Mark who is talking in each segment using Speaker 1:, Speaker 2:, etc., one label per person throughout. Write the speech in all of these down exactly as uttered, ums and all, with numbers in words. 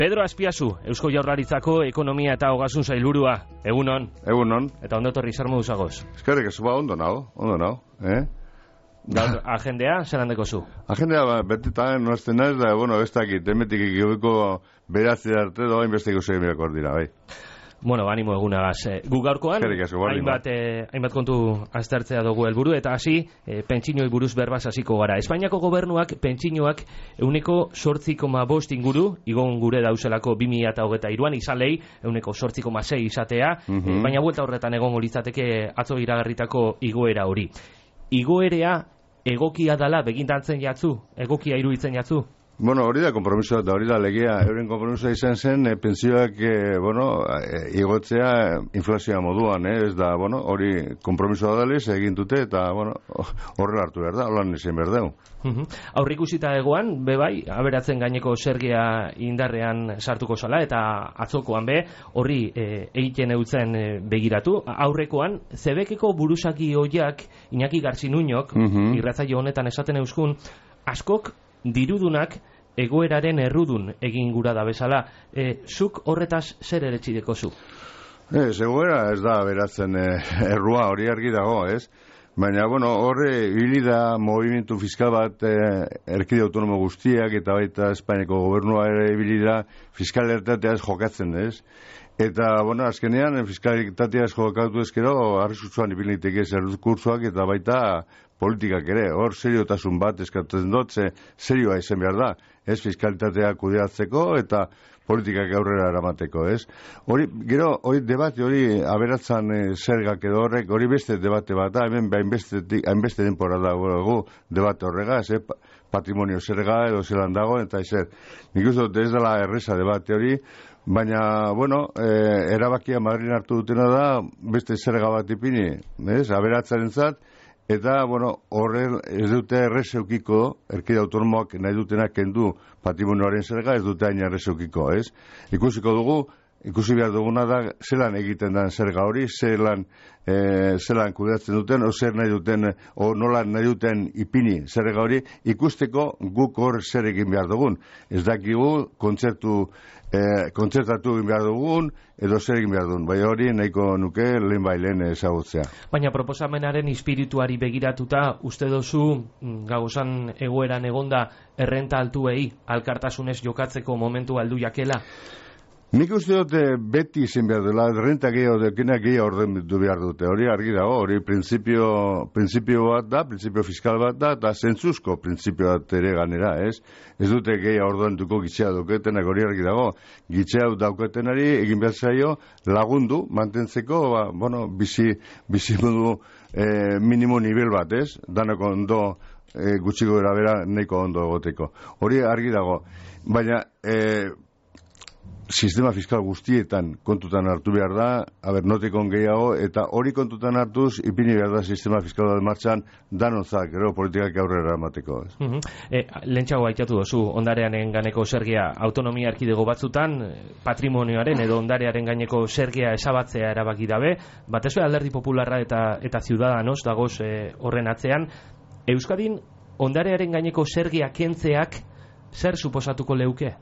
Speaker 1: Pedro Azpiazu, Eusko Jaurlaritzako ekonomia eta ogasun sailburua. Egunon.
Speaker 2: Egunon.
Speaker 1: Eta ondo torri zer moduz agoz?
Speaker 2: Eskerrik asko, ba, ondo nao, ondo nao, eh?
Speaker 1: Gaur, agendea, zer handeko zu?
Speaker 2: Agendea, ba, betetan, noazten naiz, da, bueno, ez dakit, emetik ikibiko beratze arte doa inbestiko segimiak hor dira, bai.
Speaker 1: Bueno, animo egunagaz. Eh, gu gaurkoan,
Speaker 2: asko,
Speaker 1: hainbat, eh, hainbat kontu aztertzea dugu helburu eta hasi, eh, pentsiñoi buruz berbaz hasiko gara. Espainiako gobernuak pentsiñoak euneko sortzi koma bost inguru, igon gure dauzelako bi mila hogeita hiruan izalei, euneko sortzi koma sei izatea, mm -hmm. eh, baina buelta horretan egongo litzateke atzo iragarritako igoera hori. Igoerea egokia dala begintantzen jatzu, egokia iruditzen jatzu?
Speaker 2: Bueno, hori da kompromisoa eta hori da legea. Euren kompromisoa izan zen, e, pensioak, e, bueno, e, igotzea inflazioa moduan, eh? Ez da, bueno, hori kompromisoa daliz egin dute eta, bueno, horrela hartu behar da, holan izan behar dugu.
Speaker 1: Uh-huh. Aurrikusita egoan, be bai, aberatzen gaineko zergia indarrean sartuko zala eta atzokoan be, horri e, egiten eutzen e, begiratu. Aurrekoan, Zebekeko buruzaki hoiak, Iñaki Garzinuñok, uh-huh. irratzaio honetan esaten euskun, askok dirudunak egoeraren errudun egin gura da bezala. E, zuk horretaz zer eretxideko zu?
Speaker 2: Ez, egoera ez da beratzen e, errua hori argi dago, ez? Baina, bueno, horre hilida movimentu fiskal bat e, erkide autonomo guztiak eta baita Espainiako gobernua ere hilida fiskalitateaz jokatzen, ez? Eta, bueno, azkenean fiskalitateaz jokatu ezkero arrisutzuan ipiniteke zerkursoak eta baita politikak ere, hor seriotasun bat eskatzen dut, ze serioa izan behar da, ez fiskalitatea kudeatzeko eta politikak aurrera eramateko, ez? Hori, gero, hori debate hori aberatzan e, zergak edo horrek, hori beste debate bat da, hemen hainbeste denpora dago debate horregaz, eh? Patrimonio zerga edo zelan dago, eta ezer. Nik uste dut ez dela erreza debate hori, baina, bueno, e, erabakia Madrid hartu dutena da, beste zerga bat ipini, ez? Aberatzaren zat, eta, bueno, horren ez dute errezeukiko, erkide autonomoak nahi dutenak kendu patrimonioaren zerga, ez dute hain errezeukiko, ez? Ikusiko dugu, ikusi behar duguna da, zelan egiten den zerga hori, zelan, e, zelan kudeatzen duten, o zer nahi duten, o nola nahi duten ipini zerga hori, ikusteko guk hor zer egin behar dugun. Ez dakigu, kontzertu, e, kontzertatu egin behar dugun, edo zer egin behar dugun. Bai hori nahiko nuke lehen bai lehen ezagutzea.
Speaker 1: Baina proposamenaren espirituari begiratuta, uste dozu, gauzan egoeran egonda, errenta altuei, alkartasunez jokatzeko momentu aldu jakela?
Speaker 2: Nik uste dute beti izin behar dela, renta gehiago dekena gehiago orden du behar dute, hori argi dago, hori printzipio, printzipio bat da, printzipio fiskal bat da, eta zentzuzko printzipio bat ere ganera, ez? Ez dute gehiago orden duko gitxea dauketenak, hori argi dago, gitxea dauketenari egin behar zaio lagundu, mantentzeko, ba, bueno, bizi, bizi modu eh, minimo nivel bat, ez? Danako ondo eh, gutxiko gara bera nahiko ondo egoteko. Hori argi dago, baina, eh, sistema fiskal guztietan kontutan hartu behar da, haber, notikon gehiago, eta hori kontutan hartuz, ipini behar da sistema fiskal bat martxan, danontzak, gero, politikak aurrera emateko.
Speaker 1: Uh -huh. e, Lentxago aitatu dozu, ondarearen ganeko zergia autonomia erkidego batzutan, patrimonioaren edo ondarearen gaineko zergia esabatzea erabaki dabe, batez be Alderdi Popularra eta, eta Ciudadanos dagoz e, horren atzean, Euskadin ondarearen gaineko zergia kentzeak zer suposatuko leuke?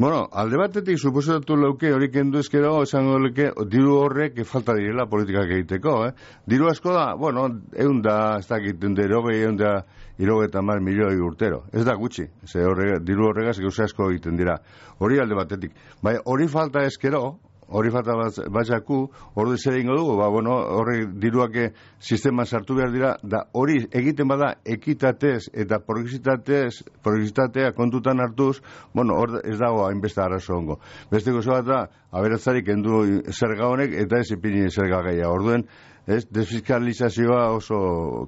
Speaker 2: Bueno, alde batetik suposatu leuke hori kendu ezkero, esango leuke, diru horrek falta direla politikak egiteko, eh? Diru asko da, bueno, egun da, ez dakiten derogei, egun da, irogeta mar milioi urtero. Ez da gutxi, ze horrega, diru horregaz gauza asko egiten dira. Hori alde batetik. Bai, hori falta ezkero, hori falta batzaku, hori zer egingo dugu, ba, bueno, horre diruak sisteman sartu behar dira, da hori egiten bada ekitatez eta progresitatez, progresitatea kontutan hartuz, bueno, hor ez dago hainbeste arazo ongo. Beste gozo bat da, aberatzarik endu zerga honek eta ez ipini zerga gehiago. Orduen, ez, desfiskalizazioa oso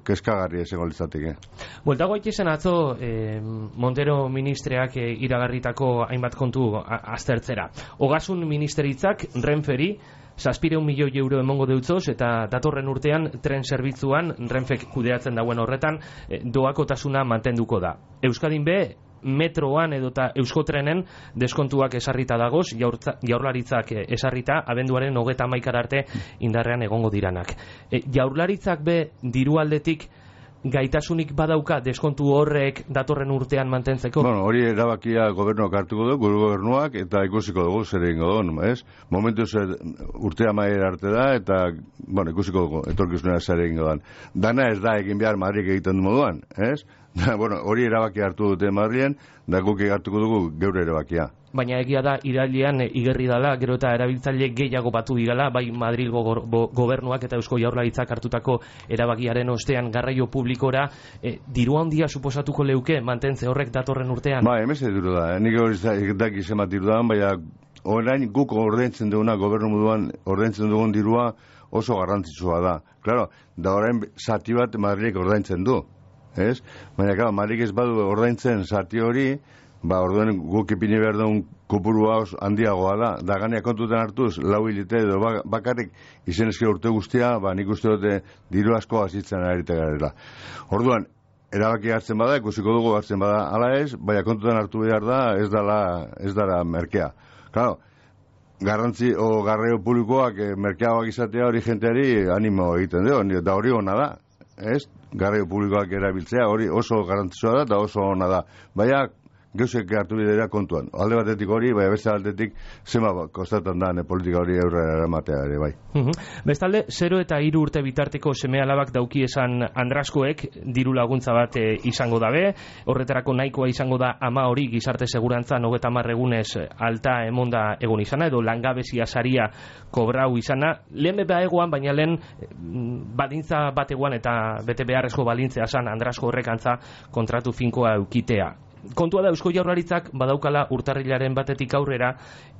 Speaker 2: kezkagarria esango litzateke.
Speaker 1: Bueltago itxezen atzo, eh, Montero ministreak eh, iragarritako hainbat kontu aztertzera. Ogasun ministeritzak Renferi zazpireun milioi euro emongo deutzoz eta datorren urtean tren zerbitzuan Renfek kudeatzen dauen horretan eh, doakotasuna mantenduko da. Euskadin be, metroan edota Euskotrenen deskontuak esarrita dagoz, jaurlaritzak esarrita, abenduaren hogeta hamaikara arte indarrean egongo diranak. E, jaurlaritzak be diru aldetik gaitasunik badauka deskontu horrek datorren urtean mantentzeko?
Speaker 2: Bueno, hori erabakia gobernuak hartuko du, gure gobernuak, eta ikusiko dugu zer egingo duen, ez? Momentu zer urtea maier arte da, eta, bueno, ikusiko dugu, etorkizunera zer egingo duen. Dana ez da egin behar Madrik egiten du moduan, ez? Da, bueno, hori erabakia hartu dute Madrien, da guk hartuko dugu geure erabakia.
Speaker 1: Baina egia da, irailean e, igerri dala, gero eta erabiltzaile gehiago batu digala, bai Madrilgo go, go, gobernuak eta Eusko Jaurlaritzak hartutako erabakiaren ostean garraio publikora, e, diru handia suposatuko leuke mantentze horrek datorren urtean?
Speaker 2: Ba, emeze diru da, nik hori daki zemat diru da, baina orain guk ordaintzen duguna, gobernu moduan ordaintzen dugun dirua oso garrantzitsua da. Claro, da orain zati bat Madrilek ordaintzen du, ez? Baina, claro, Madrilek ez badu ordaintzen zati hori, ba, orduen guk ipini behar duen kopurua handiagoa da. Da ganea kontutan hartuz, lau hilite edo bakarrik izen esker urte guztia, ba, nik uste dute diru asko azitzen arite garela. Orduan, erabaki hartzen bada, ikusiko dugu hartzen bada ala ez, baina kontutan hartu behar da, ez dala, ez dara merkea. Claro, garrantzi o garraio publikoak eh, merkeagoak izatea hori jenteari animo egiten du, da hori ona da, ez? Garraio publikoak erabiltzea hori oso garrantzitsua da eta oso ona da. Baina, geuzek hartu bidera kontuan. Alde batetik hori, bai beste aldetik zema kostatan da politika hori aurrera eramatea ere, bai.
Speaker 1: Uhum. Bestalde, zero eta hiru urte bitarteko seme alabak dauki esan Andraskoek diru laguntza bat e, izango dabe, horretarako nahikoa izango da ama hori gizarte segurantzan hogeita hamar egunez alta emonda egon izana, edo langabezia saria kobrau izana, lehen beba egoan, baina lehen balintza bat egoan eta bete beharrezko balintzea zan Andrasko horrekantza kontratu finkoa eukitea. Kontua da Eusko Jaurlaritzak badaukala urtarrilaren batetik aurrera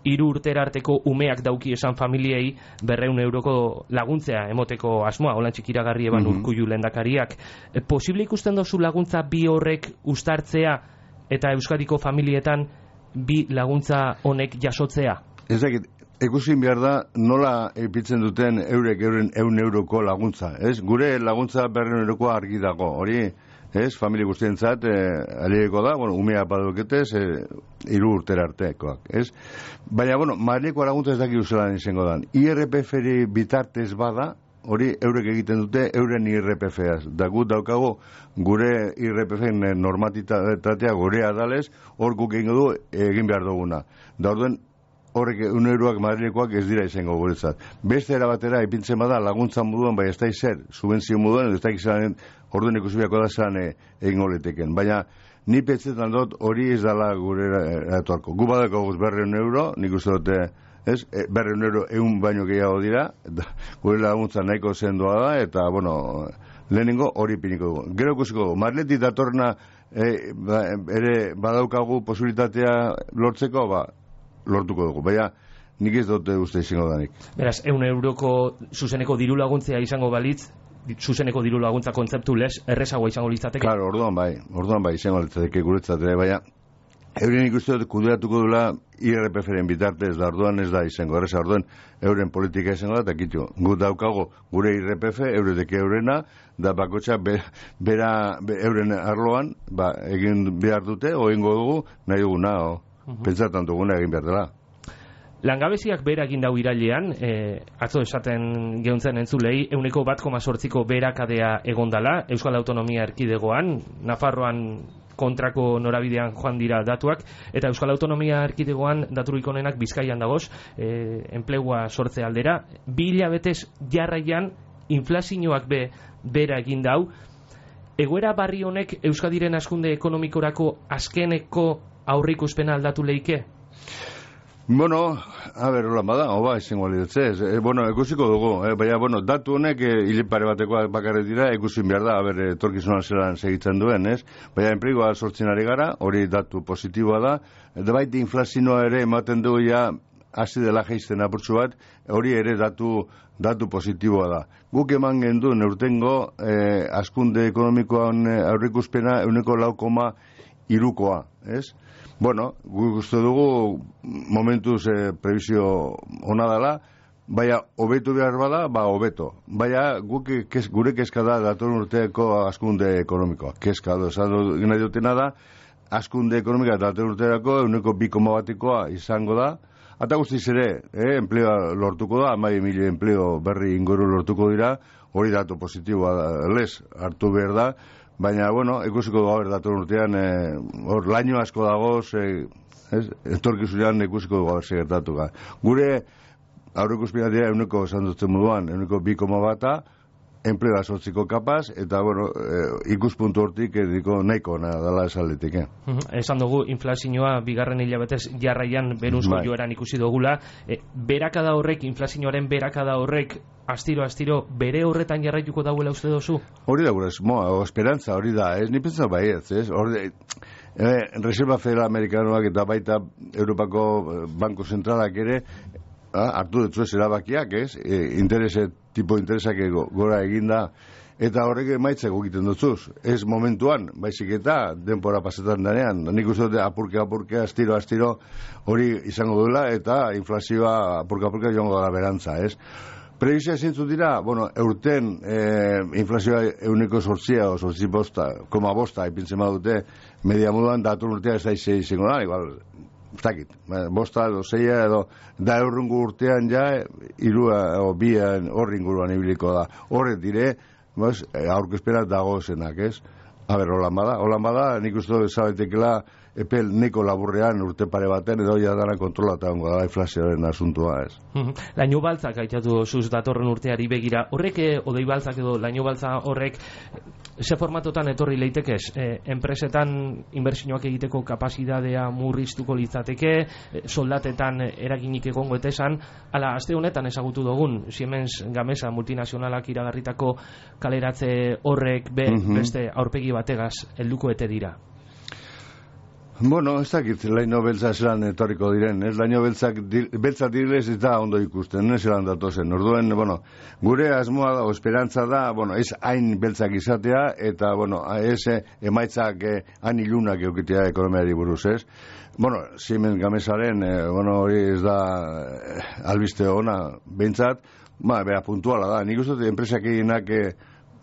Speaker 1: hiru urtera arteko umeak dauki esan familiei berreun euroko laguntzea emoteko asmoa, holan txikiragarri eban mm-hmm. Urkullu lehendakariak. E, posible ikusten dozu laguntza bi horrek uztartzea eta Euskadiko familietan bi laguntza honek jasotzea?
Speaker 2: Ez dakit, ikusin behar da nola epitzen duten eurek euren eun euroko laguntza. Ez? Gure laguntza berreun eurokoa argi dago, hori... Ez, familia guztientzat, eh, alegeko da, bueno, umea baduketez, eh, hiru urtera artekoak, ez? Baina, bueno, Madrileko laguntza ez daki uzelan izango dan. I R P F-ri bitartez bada, hori eurek egiten dute euren I R P F-az. Da gut daukago gure I R P F-en normatitatea gurea dalez, hor guk egingo du egin behar duguna. Da orduen, horrek un euroak Madrilekoak ez dira izango guretzat. Beste era batera ipintzen bada laguntza moduan, bai ez da izer, subentzio moduan, ez da izan orduan ikusibiako da zan egin goleteken. Baina ni petzetan dut hori ez dala gure eratuarko. Gu badako guz berreun euro, nik uste dute, ez, e, berreun euro egun baino gehiago dira, da, gure laguntza nahiko zendoa da, eta, bueno, lehenengo hori piniko dugu. Gero ikusiko dugu, Madriletik datorna e, ba, ere badaukagu posibilitatea lortzeko, ba, lortuko dugu. Baina, nik ez dute uste izango danik.
Speaker 1: Beraz, eun euroko zuzeneko diru laguntzea izango balitz, zuzeneko diru laguntza kontzeptu lez, errezagoa izango litzateke?
Speaker 2: Claro, orduan bai, orduan bai izango litzateke guretzat ere, baina euren ikuste dut kudeatuko dula I R P F-ren bitartez, da orduan ez da izango, erreza orduan euren politika izango da, eta kitu, gu daukago gure I R P F, eureteke eurena, da bakotxa be, bera be, euren arloan, ba, egin behar dute, o egingo dugu, nahi duguna, o, uh-huh. Pentsatan duguna egin behar dela.
Speaker 1: Langabeziak behera egin dau irailean, e, atzo esaten geuntzen entzulei, euneko bat koma sortziko beherakadea egondala, Euskal Autonomia Erkidegoan, Nafarroan kontrako norabidean joan dira datuak, eta Euskal Autonomia Erkidegoan daturik onenak Bizkaian dagoz, e, enplegua sortze aldera, bi hilabetez jarraian inflazioak be behera egin dau, egoera barri honek Euskadiren hazkunde ekonomikorako azkeneko aurrikuspena aldatu leike?
Speaker 2: Bueno, a ver, hola, bada, oba, izango lidetzez. E, bueno, ikusiko dugu, eh, baina, bueno, datu honek e, hilipare batekoa bakarret dira, ikusin behar da, a ber, etorkizunan zelan segitzen duen, ez? Baina, enplegoa sortzen ari gara, hori datu positiboa da, eta baita inflazioa ere ematen du ja, hasi dela geizten apurtzu bat, hori ere datu, datu positiboa da. Guk eman gendu neurtengo, eh, askunde ekonomikoan aurrikuspena euneko lau koma irukoa, ez? Bueno, guk uste dugu momentuz eh, prebizio ona dela, baina hobetu behar bada, ba hobeto. Baina guk kes, gure kezka da datorren urteeko askunde ekonomikoa. Kezka do, esan nahi dutena da, askunde ekonomikoa datorren urteako euneko bi koma batekoa izango da, Ata guztiz ere, eh, enpleoa lortuko da, hamabi mila enpleo berri inguru lortuko dira, hori datu positiboa lez hartu behar da, baina, bueno, ikusiko dugu dator urtean, hor, laino asko dagoz, eh, ez, etorkizunean ikusiko dugu gertatu ga. Gure, aurreikuspena dira, euneko esan dutzen moduan, euneko bi koma bata, enplega sortziko kapaz, eta, bueno, eh, ikuspuntu hortik ediko nahiko na, dala esaletik, eh?
Speaker 1: Esan dugu, inflazioa bigarren hilabetez jarraian beruzko bai. Joeran ikusi dugula, e, berakada horrek, inflazioaren berakada horrek, astiro-astiro, bere horretan jarraituko dauela uste dozu?
Speaker 2: Hori da, gure, moa, esperantza hori da, ez, ni pentsa baietz, ez, hori, eh, Reserva Federal Amerikanoak eta baita Europako Banko Zentralak ere, ah, hartu dutzu ez erabakiak, ez, e, interese, tipo interesak gora eginda, eta horrek emaitzeko egiten dutzuz. Ez momentuan, baizik eta denpora pasetan danean. Nik uste dute apurke, apurke, astiro, astiro, hori izango duela, eta inflazioa apurke, apurke joango dara berantza, ez. Prebizia zintzu dira, bueno, eurten eh, inflazioa euneko sortzia, o sortzi bosta, koma bosta, ipintzen badute, media moduan, datu urtea ez da izango da, igual, zakit, bosta edo zeia edo da eurrungu urtean ja irua o bian horri inguruan ibiliko da. Horret dire, bas, aurkezpena dagozenak, ez? A ber, holan bada, holan bada, nik uste dut zabetekela epel neko laburrean urte pare baten edo ja dara kontrolata ongo da inflazioaren asuntua, ez?
Speaker 1: Laino baltzak aitatu zuz datorren urteari begira, horrek odei baltzak edo laino baltza horrek ze formatotan etorri leitekez? E, enpresetan inbertsioak egiteko kapazitatea murriztuko litzateke, e, soldatetan eraginik egongo etesan, ala, aste honetan ezagutu dugun, Siemens Gamesa multinazionalak iragarritako kaleratze horrek be, mm-hmm. beste aurpegi bategaz helduko ete dira.
Speaker 2: Bueno, ez dakit, laino beltza zelan etorriko diren, ez laino beltzak, beltzak direlez eta ondo ikusten, ez zelan datozen. Orduen, bueno, gure asmoa da, o esperantza da, bueno, ez hain beltzak izatea, eta, bueno, ez emaitzak eh, hain ilunak eukitea ekonomiari buruz, ez? Bueno, Siemens Gamesaren, eh, bueno, hori ez da eh, albiste ona, behintzat, ba, bera, puntuala da. Nik uste enpresak eginak eh,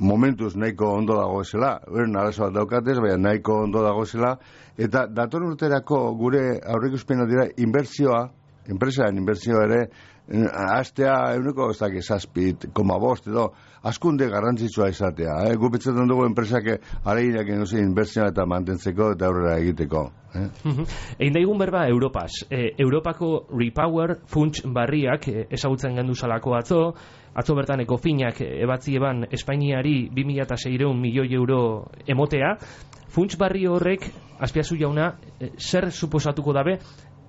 Speaker 2: momentuz nahiko ondo dagoezela, beren arazo bat daukatez, baina nahiko ondo dagoezela, eta dator urterako gure aurreikuspena dira inbertsioa, enpresaren inbertsioa ere, hastea euneko ez dakit zazpit, koma bost edo, askunde garrantzitsua izatea. Eh? Gupetzetan dugu enpresak areginak egin duzen inbertsioa eta mantentzeko eta aurrera egiteko. Eh?
Speaker 1: Egin daigun berba Europaz. E, Europako Repower funts barriak e, ezagutzen gendu salako atzo, atzo bertan Ecofinak ebatzi eban Espainiari bi mila seiehun milioi euro emotea. Funts barri horrek, Azpiazu jauna, e, zer suposatuko dabe,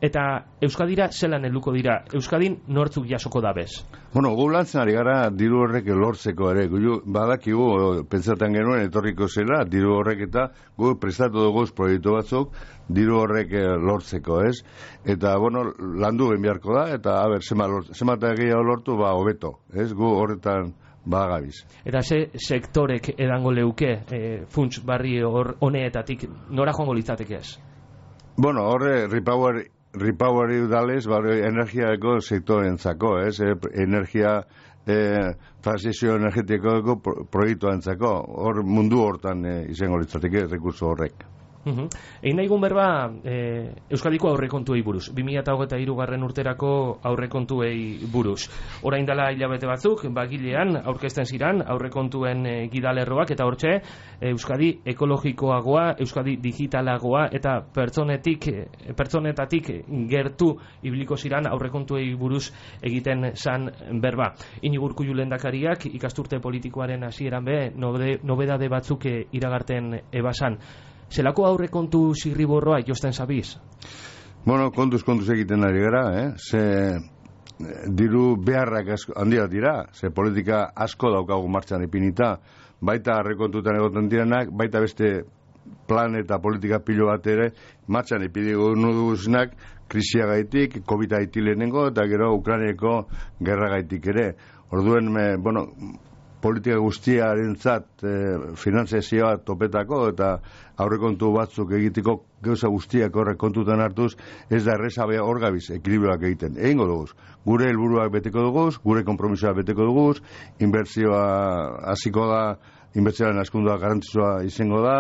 Speaker 1: eta Euskadira zelan helduko dira? Euskadin nortzuk jasoko dabez?
Speaker 2: Bueno, gu lantzen ari gara diru horrek lortzeko ere. Gu badakigu, pentsatan genuen etorriko zela, diru horrek eta gu prestatu dugu proiektu batzuk diru horrek lortzeko, ez? Eta, bueno, landu beharko da, eta, a ber, zema eta gehiago lortu, ba, hobeto, ez? Gu horretan bagabiz.
Speaker 1: Eta ze sektorek edango leuke e, funts barri hor honeetatik nora joango litzateke ez?
Speaker 2: Bueno, horre, Repower Repoweri udalez, bari, energiako sektorentzako, ez? E, energia e, transizio energetiko pro, proiektua entzako, hor mundu hortan e, izango litzateke rekurso horrek.
Speaker 1: Uhum. Egin nahi gun berba e, Euskadiko aurrekontuei buruz, bi mila hogeita hiru garren urterako aurrekontuei buruz. Orain dela hilabete batzuk, bagilean aurkezten ziran aurrekontuen e, gidalerroak, eta hortxe Euskadi ekologikoagoa, Euskadi digitalagoa eta pertsonetik, e, pertsonetatik gertu ibiliko ziran aurrekontuei buruz egiten zan berba. Inigo Urkullu lehendakariak ikasturte politikoaren hasieran be nobede, nobedade batzuk e, iragarten ebasan. Zelako aurrekontu zirriborroa josten zabiz?
Speaker 2: Bueno, kontuz, kontuz egiten ari gara, eh? Ze diru beharrak asko, handia dira, ze politika asko daukagu martxan ipinita, baita aurrekontutan egoten direnak, baita beste plan eta politika pilo bat ere, martxan ipidigu nuduznak, krisiagaitik, COVID aitilenengo, eta gero Ukraineko gerragaitik ere. Orduen, me, bueno, politika guztiarentzat e, finanziazioa topetako eta aurrekontu batzuk egiteko gauza guztiak horrek kontutan hartuz, ez da errezabea hor gabiz ekilibrioak egiten. Egingo duguz, gure helburuak beteko duguz, gure konpromisoak beteko duguz, inbertsioa hasiko da, inbertsioaren askundua garrantzitsua izango da,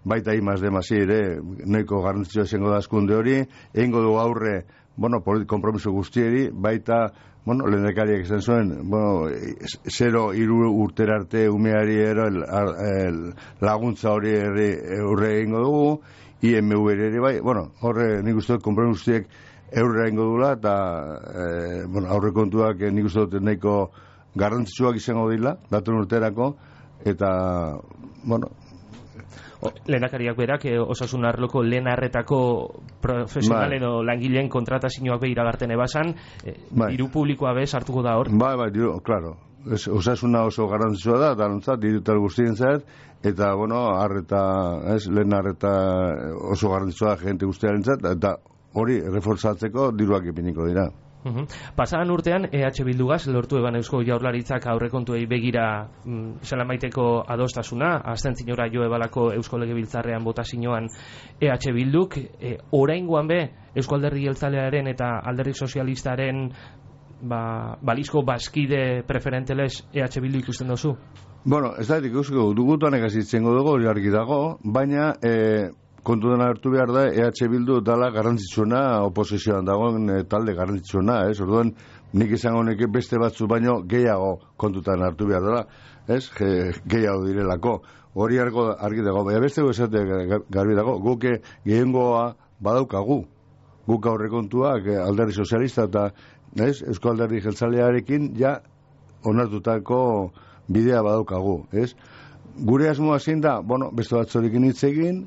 Speaker 2: baita imaz demasi ere, noiko garrantzitsua izango da askunde hori, egingo dugu aurre bueno, kompromiso guztieri, baita, bueno, lehendakariak izan zuen, bueno, zero hiru urtera arte umeari ero el, el, laguntza hori eurre egingo dugu, I M U ere bai, bueno, horre nik uste dut kompromiso guztiek eurre egingo dugula, eta, e, bueno, aurrekontuak nik uste dut nahiko garrantzitsuak izango dira, datun urterako, eta, bueno,
Speaker 1: lehendakariak berak eh, osasun arloko lehen arretako profesional edo langileen kontratazioak be iragarten ebasan, eh, diru publikoa be sartuko da hor?
Speaker 2: Bai, bai, diru, claro. Es, osasuna oso garrantzitsua da, eta nontzat, dirutal guztien zait, eta, bueno, arreta, ez, lehen arreta oso garrantzitsua da gente guztiaren zait, eta hori reforzatzeko diruak ipiniko dira.
Speaker 1: Uhum. Pasadan urtean E H Bildugaz lortu eban Eusko Jaurlaritzak aurrekontuei begira mm, zelan baiteko adostasuna, abstentziora jo ebalako Eusko Legebiltzarrean botazioan E H Bilduk, e, oraingoan be Eusko Alderdi Jeltzalearen eta Alderdi Sozialistaren ba, balizko bazkide preferenteles E H Bildu ikusten dozu?
Speaker 2: Bueno, ez da, ikusko dugutuan egazitzen dugu, hori argi dago, baina e, kontutan hartu behar da, E H Bildu dala garrantzitsuna, oposizioan dagoen e, talde garrantzitsuna, ez? Orduan, nik izango neke beste batzu baino gehiago kontutan hartu behar dela, ez? Ge, gehiago direlako. Hori argi, argi dago, baina beste esate garbi dago, guke gehiengoa badaukagu. Guk aurrekontuak Alderdi Sozialista eta ez? Eusko Alderdi Jeltzalearekin ja onartutako bidea badaukagu, ez? Gure asmoa zein da, bueno, beste batzorekin hitz egin,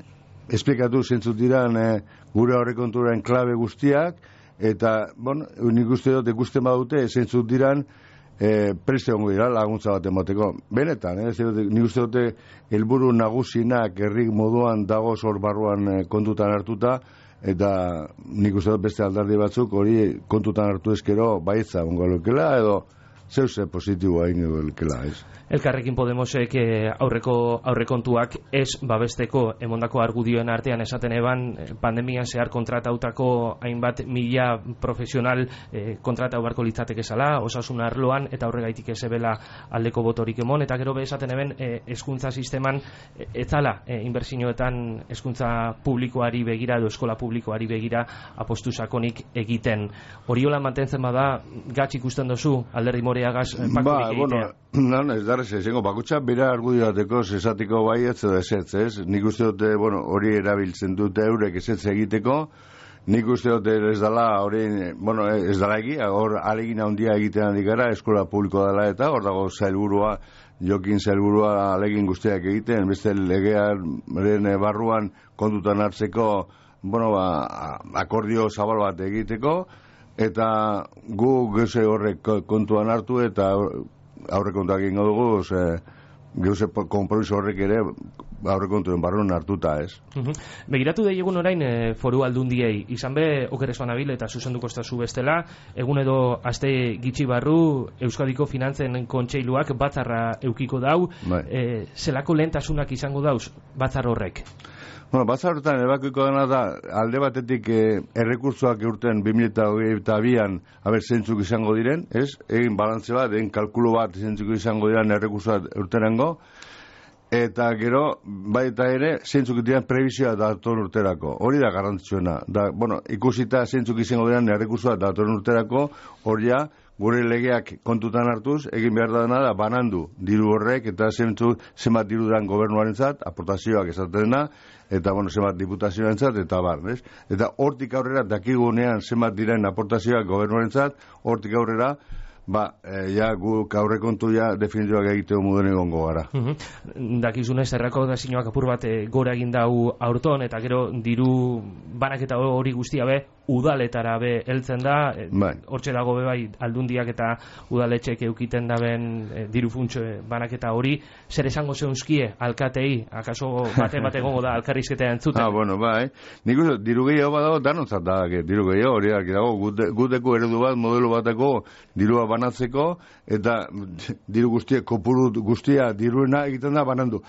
Speaker 2: esplikatu zentzut diran e, gure aurrekontuaren klabe guztiak, eta, bueno, nik uste dut ikusten badute zentzut diran e, preste hongo dira laguntza bat emateko. Benetan, eh, nik uste dute helburu nagusinak herri moduan dago zor barruan e, kontutan hartuta, eta nik uste dut beste aldardi batzuk hori kontutan hartu ezkero baitza ongo lukela, edo zeuse positiboa ingo lukela, ez?
Speaker 1: Elkarrekin Podemosek aurreko aurrekontuak ez babesteko emondako argudioen artean esaten eban pandemian zehar kontratautako hainbat mila profesional eh, kontratau barko litzateke zala, osasun arloan eta horregaitik ezebela aldeko botorik emon, eta gero be esaten eben eh, hezkuntza sisteman eh, etzala eh, inbertsioetan hezkuntza publikoari begira edo eskola publikoari begira apostu sakonik egiten. Horiola mantentzen bada gatz ikusten dozu Alderdi Moreagaz eh, pakturik egitea?
Speaker 2: Bueno, ez darrez, ezengo, bakutsa bera argudioateko esatiko baietz edo esetz, ez? Nik uste dute, bueno, hori erabiltzen dute eurek esetz egiteko, nik uste dute ez dala, hori, bueno, ez dala egia, hor alegin handia egiten handik gara, eskola publiko dela eta, hor dago zailburua, jokin zailburua alegin guztiak egiten, beste legearen barruan kontutan hartzeko, bueno, ba, akordio zabal bat egiteko, eta gu geuze horrek kontuan hartu eta aurrekontuak egingo dugu, ze geuze konpromiso horrek ere aurrekontuen barruan hartuta, ez.
Speaker 1: Uh-huh. Begiratu da egun orain e, foru aldundiei, izan be okerezoan abil eta zuzenduko estazu bestela, egun edo aste gitxi barru Euskadiko Finantzen Kontseiluak batzarra eukiko dau, e, zelako lehentasunak izango dauz batzar horrek?
Speaker 2: Bueno, batzar horretan ebakoiko dena da, alde batetik eh, errekurtsoak eurten bi mila hogeita bian haber zentzuk izango diren, ez? Egin balantze bat, egin kalkulo bat zentzuk izango diren errekurtsoak eurtenengo, eta gero, baita ere, zentzuk diren prebizioa datorren urterako. Hori da garrantzitsuena. Da, bueno, ikusita zentzuk izango diren errekurtsoak datorren urterako, hori ja, gure legeak kontutan hartuz, egin behar dena da banandu diru horrek, eta zentzuk zenbat diru dan gobernuarentzat, aportazioak esatena, eta bueno, zenbat diputazioarentzat, eta bar, ez? Eta hortik aurrera, dakigunean zenbat diren aportazioak gobernuarentzat, hortik aurrera, ba, e, ja, guk aurrekontu ja definituak egiteko muden egongo gara.
Speaker 1: Uh -huh. Dakizunez, errako da zinuak apur bat e, gora egin dau aurton, eta gero diru banaketa hori guztia be, udaletara be heltzen da, e,
Speaker 2: bai.
Speaker 1: Hortxe dago be bai aldundiak eta udaletxek eukiten daben e, diru funtso banaketa hori, zer esango zeunzkie alkatei, akaso bate bat egongo da alkarrizketa entzuten?
Speaker 2: Ah, bueno, bai. Nik uste, diru gehiago badago, danontzat da, diru gehiago, hori dago, guteko eredu bat, modelo bateko dirua banatzeko, eta diru guztia, kopuru guztia diruena egiten da banandu.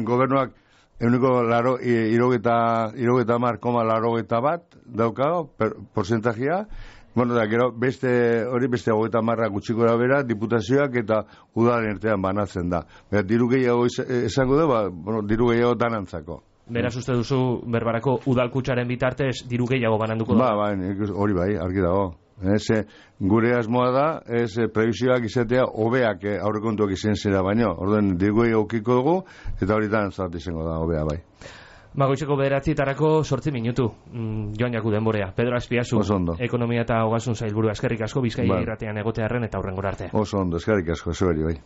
Speaker 2: Gobernuak euniko laro, irogeta, irogeta mar, koma larogeta bat daukago, per, porcentajea, bueno, da, gero, beste, hori beste hogeita marra gutxikora bera, diputazioak eta udalen ertean banatzen da. Bera, diru gehiago esango da, ba, bueno, diru gehiago danantzako.
Speaker 1: beraz uste duzu berbarako udalkutsaren bitartez diru gehiago bananduko da.
Speaker 2: Ba, ba, nik hori bai, argi dago. Ez, gure asmoa da, ez prebisioak izatea hobeak eh, aurrekontuak izan zera baino. Orduen digoi aukiko dugu eta horitan zart izango da hobea bai.
Speaker 1: Magoitzeko bederatzitarako sortzi minutu, mm, joan jaku denborea. Pedro Azpiazu, ekonomia eta ogasun sailburua, eskerrik asko Bizkaia
Speaker 2: bai.
Speaker 1: irratean egotearren eta hurrengora arte.
Speaker 2: Oso ondo, eskerrik asko, zeberi bai.